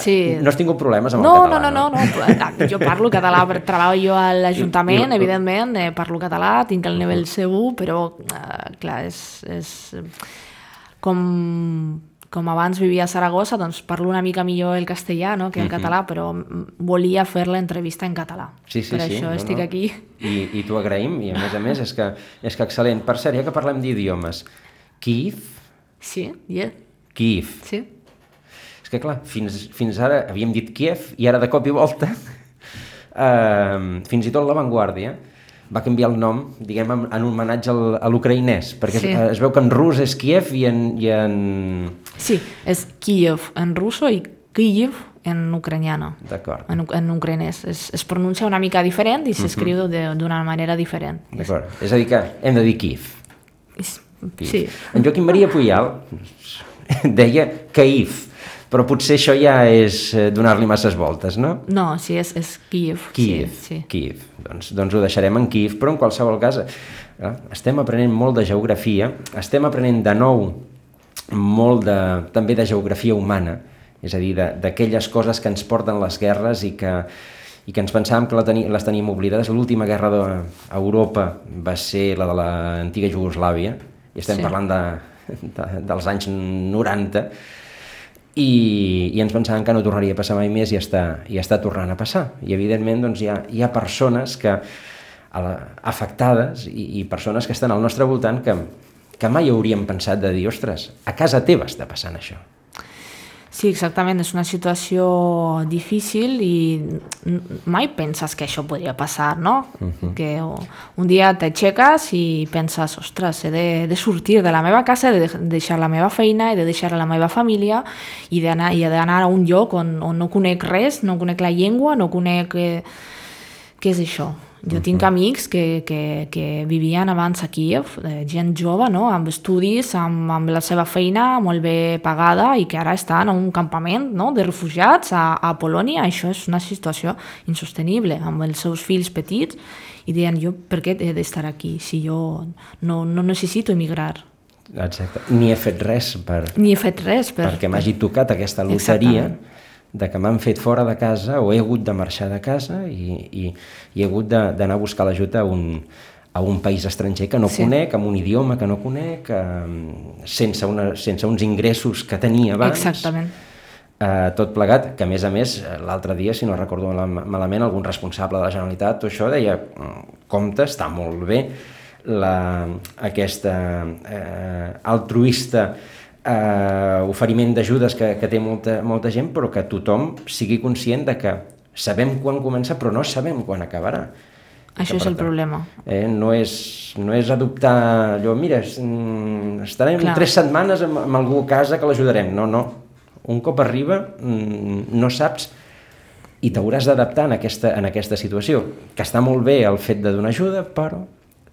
Sí. No has tingut problemes amb no, el català, no? No, no, no, no. Jo parlo català, treballo jo a l'Ajuntament, evidentment, eh, parlo català, tinc el nivell C u, però, eh, clar, és... és com, com abans vivia a Saragossa, doncs parlo una mica millor el castellà, no?, que el català, però volia fer l'entrevista en català. Sí, sí, per sí, això no, estic no. aquí. I, i t'ho agraïm, i a més a més és que, és que excel·lent. Per cert, ja que parlem d'idiomes, Kíev? Sí, yeah. Kíev. Sí. És que clar, fins, fins ara havíem dit Kíev i ara de cop i volta, eh, fins i tot l'avantguàrdia va canviar el nom, diguem, en, en homenatge al, a l'ucraïnès, perquè sí. es, es veu que en rus és Kíev i en... I en... Sí, és Kíev en russo i Kíev en ucraniano. D'acord. En, en ucraïnès. Es, es pronuncia una mica diferent i s'escriu uh-huh. d'una manera diferent. D'acord. És a dir que hem de dir Kíev. Sí. En Joaquim Maria Puyal deia Kíev, però potser això ja és donar-li masses voltes, no? No, sí, és, és Kíev. Kíev, sí, sí. Kíev. Doncs, doncs ho deixarem en Kíev, però en qualsevol cas eh, estem aprenent molt de geografia, estem aprenent de nou molt de, també de geografia humana, és a dir, d'aquelles coses que ens porten les guerres i que, i que ens pensàvem que la teni, les teníem oblidades. L'última guerra d'Europa va ser la de l'antiga Iugoslàvia, i estem sí. parlant de, de, dels anys noranta, I, i ens pensàvem que no tornaria a passar mai més i està, i està tornant a passar. I evidentment doncs, hi, ha, hi ha persones que, a la, afectades i, i persones que estan al nostre voltant que, que mai hauríem pensat de dir, ostres, a casa teva està passant això. Sí, exactament, és una situació difícil i mai penses que això podria passar, no? Uh-huh. Que un dia t'aixeques i penses, ostres, he de, de sortir de la meva casa, he de deixar la meva feina, he de deixar la meva família i d'anar i d'anar a un lloc on, on no conec res, no conec la llengua, no conec... Eh, què és això? Jo uh-huh. tinc amics que, que, que vivien abans a Kíev, eh, gent jove, no? Amb estudis, amb, amb la seva feina molt bé pagada i que ara estan a un campament, no? De refugiats a, a Polònia. Això és una situació insostenible, amb els seus fills petits, i deien, jo per què he d'estar aquí si jo no, no necessito emigrar? Exacte. Ni he fet res per... Ni he fet res per... perquè m'hagi tocat aquesta loteria. Exactament. De que m'han fet fora de casa o he hagut de marxar de casa i, i, i he hagut d'anar a buscar l'ajut a, un, a un país estranger que no sí. conec, amb un idioma que no conec, eh, sense, una, sense uns ingressos que tenia abans. Exactament. Eh, tot plegat, que a més a més, l'altre dia, si no recordo malament, algun responsable de la Generalitat o això deia, compte, està molt bé la, aquesta eh, altruista Uh, oferiment d'ajudes que, que té molta, molta gent, però que tothom sigui conscient de que sabem quan comença però no sabem quan acabarà. Això és el problema. Eh, no, és, no és adoptar allò, mira, estarem Clar. tres setmanes amb, amb algú a casa que l'ajudarem. No, no. Un cop arriba no saps i t'hauràs d'adaptar en aquesta, en aquesta situació, que està molt bé el fet de donar ajuda, però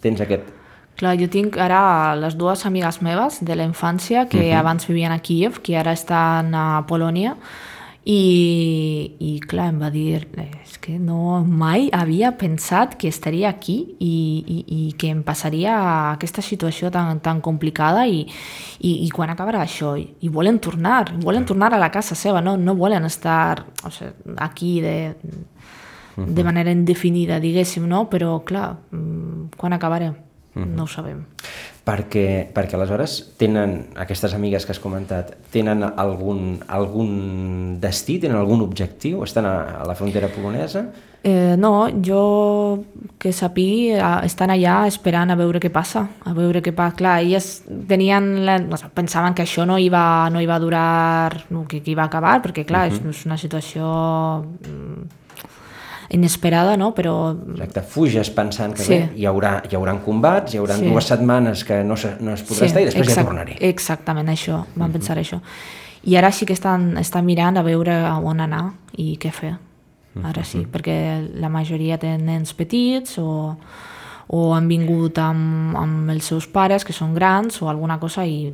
tens aquest... Clar, jo tinc ara les dues amigues meves de la infància que uh-huh. abans vivien a Kíev, que ara estan a Polònia, i, i clar, em va dir, és que no, mai havia pensat que estaria aquí i, i, i que em passaria aquesta situació tan, tan complicada i, i, i quan acabarà això? I, i volen tornar, volen tornar a la casa seva, no, no volen estar o sigui, aquí de, uh-huh. de manera indefinida, diguéssim, no? Però clar, quan acabarem? No ho sabem. Perquè, perquè aleshores tenen, aquestes amigues que has comentat, tenen algun, algun destí, tenen algun objectiu? Estan a, a la frontera polonesa? Eh, no, jo que sàpigui, estan allà esperant a veure què passa, a veure què passa. Clar, elles tenien la, pensaven que això no iba, no iba a durar, que, que iba a acabar, perquè clar, uh-huh. és una situació... inesperada, no? Però... Exacte, fuges pensant que sí. bé, hi haurà, hi haurà combats, hi haurà sí. dues setmanes que no, se, no es podrà sí, estar i després exact, ja tornaré. Exactament, això, vam uh-huh. pensar això. I ara sí que estan, estan mirant a veure on anar i què fer. Ara sí, uh-huh. perquè la majoria tenen nens petits o, o han vingut amb, amb els seus pares, que són grans, o alguna cosa, i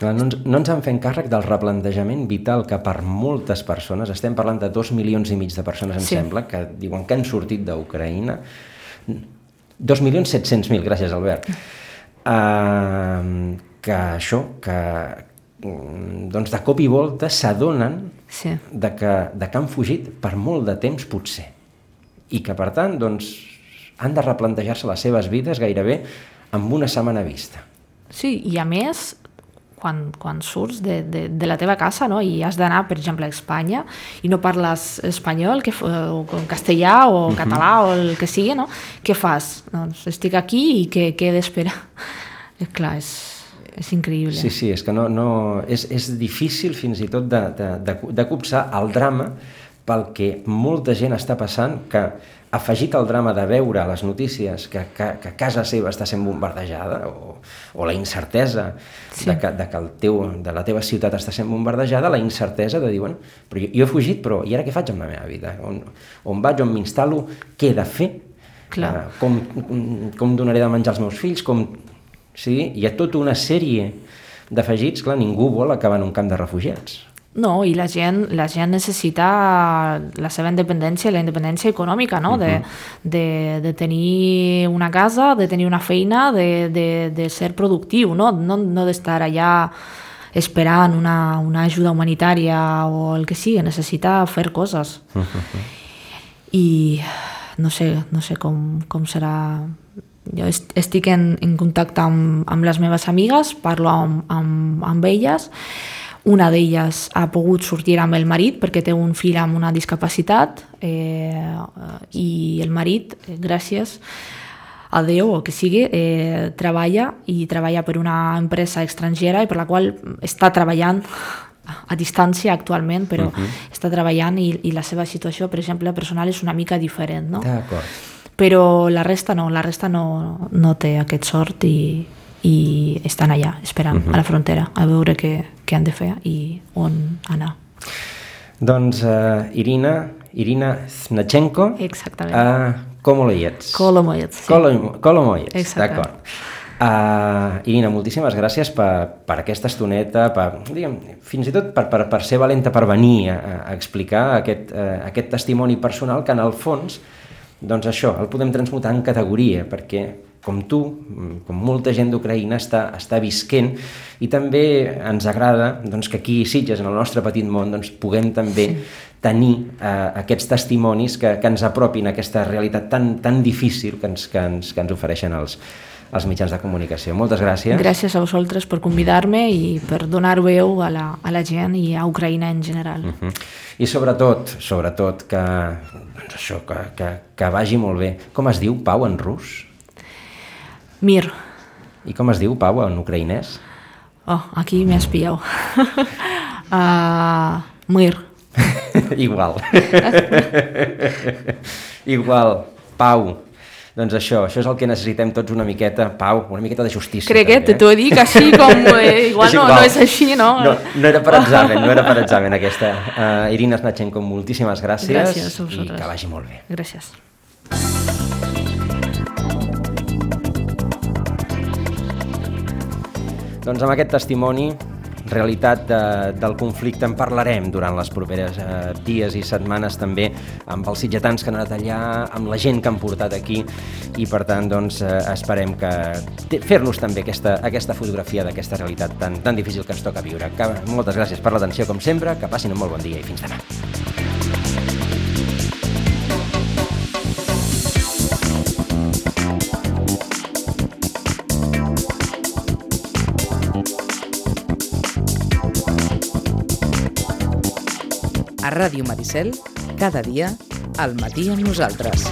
Clar, no, ens, no ens han fet càrrec del replantejament vital que per moltes persones, estem parlant de dos milions i mig de persones, em Sí. sembla, que diuen que han sortit d'Ucraïna. Dos milions set-cents mil, gràcies, Albert. Uh, que això, que doncs de cop i volta s'adonen Sí. de, que, de que han fugit per molt de temps, potser. I que, per tant, doncs, han de replantejar-se les seves vides gairebé amb una setmana vista. Sí, i a més, quan, quan surts de, de, de la teva casa, no?, i has d'anar, per exemple, a Espanya i no parles espanyol que, o castellà o uh-huh. català o el que sigui, no? Què fas? Doncs estic aquí i què, què he d'esperar? És clar, és, és increïble. Sí, sí, és que no, no, és, és difícil fins i tot de, de, de, de copsar el drama pel que molta gent està passant, que afegit al drama de veure a les notícies que, que, que casa seva està sent bombardejada o, o la incertesa sí. de, que, de que el teu, de la teva ciutat està sent bombardejada, la incertesa de dir, bueno, però jo, jo he fugit, però i ara què faig amb la meva vida? On, on vaig, on m'instal·lo, què he de fer? Clar. Uh, com, com donaré de menjar als meus fills? Com... Sí? Hi ha tota una sèrie d'afegits, clar, ningú vol acabar en un camp de refugiats. No, i la gent, la gent necessita la seva independència, la independència econòmica, no? Uh-huh. de, de, de tenir una casa, de tenir una feina, de, de, de ser productiu, no, no, no d'estar allà esperant una, una ajuda humanitària o el que sigui, necessita fer coses. Uh-huh. I no sé, no sé com, com serà... Jo estic en, en contacte amb, amb les meves amigues, parlo amb, amb, amb elles. Una d'elles ha pogut sortir amb el marit perquè té un fill amb una discapacitat eh, i el marit, eh, gràcies a Déu o que sigui, eh, treballa i treballa per una empresa estrangera i per la qual està treballant a distància actualment, però uh-huh. està treballant i, i la seva situació, per exemple, personal és una mica diferent, no? D'acord. Però la resta no, la resta no, no té aquest sort i, i estan allà, esperant uh-huh. a la frontera, a veure què, què han de fer i on anar. Doncs uh, Irina, Irina Znachenko, exactament. Uh, Kolomoyets. Kolomoyets, sí. Kolom, Kolomoyets, exactament. d'acord. Uh, Irina, moltíssimes gràcies per, per aquesta estoneta, per, diguem, fins i tot per, per, per ser valenta per venir a, a explicar aquest, uh, aquest testimoni personal que en el fons, doncs això, el podem transmutar en categoria, perquè com tu, com molta gent d'Ucraïna està, està visquent i també ens agrada doncs, que aquí a Sitges, en el nostre petit món, doncs, puguem també sí. tenir uh, aquests testimonis que, que ens apropin a aquesta realitat tan, tan difícil que ens, que ens, que ens ofereixen els, els mitjans de comunicació. Moltes gràcies. Gràcies a vosaltres per convidar-me i per donar veu a la, a la gent i a Ucraïna en general. Uh-huh. I sobretot, sobretot que, doncs això, que, que, que vagi molt bé. Com es diu Pau en rus? Mir. I com es diu Pau en ucraïnès? Oh, aquí m'has pillau. uh, Mir. Igual. Igual. Pau. Doncs això, això és el que necessitem tots una miqueta, Pau, una miqueta de justícia. Crec que també, t'ho dic així com... Eh, igual, és igual. No, no és així, no? No, no era per examen, no era per examen aquesta. Uh, Irina Znachenko, moltíssimes gràcies. Gràcies a vosaltres. I que vagi molt bé. Gràcies. Doncs amb aquest testimoni, realitat de, del conflicte, en parlarem durant les properes eh, dies i setmanes també amb els sitgetans que han anat allà, amb la gent que han portat aquí i per tant doncs, eh, esperem que fer-nos també aquesta, aquesta fotografia d'aquesta realitat tan, tan difícil que ens toca viure. Que, moltes gràcies per l'atenció com sempre, que passin un molt bon dia i fins demà. A Ràdio Maricel, cada dia, al matí amb nosaltres.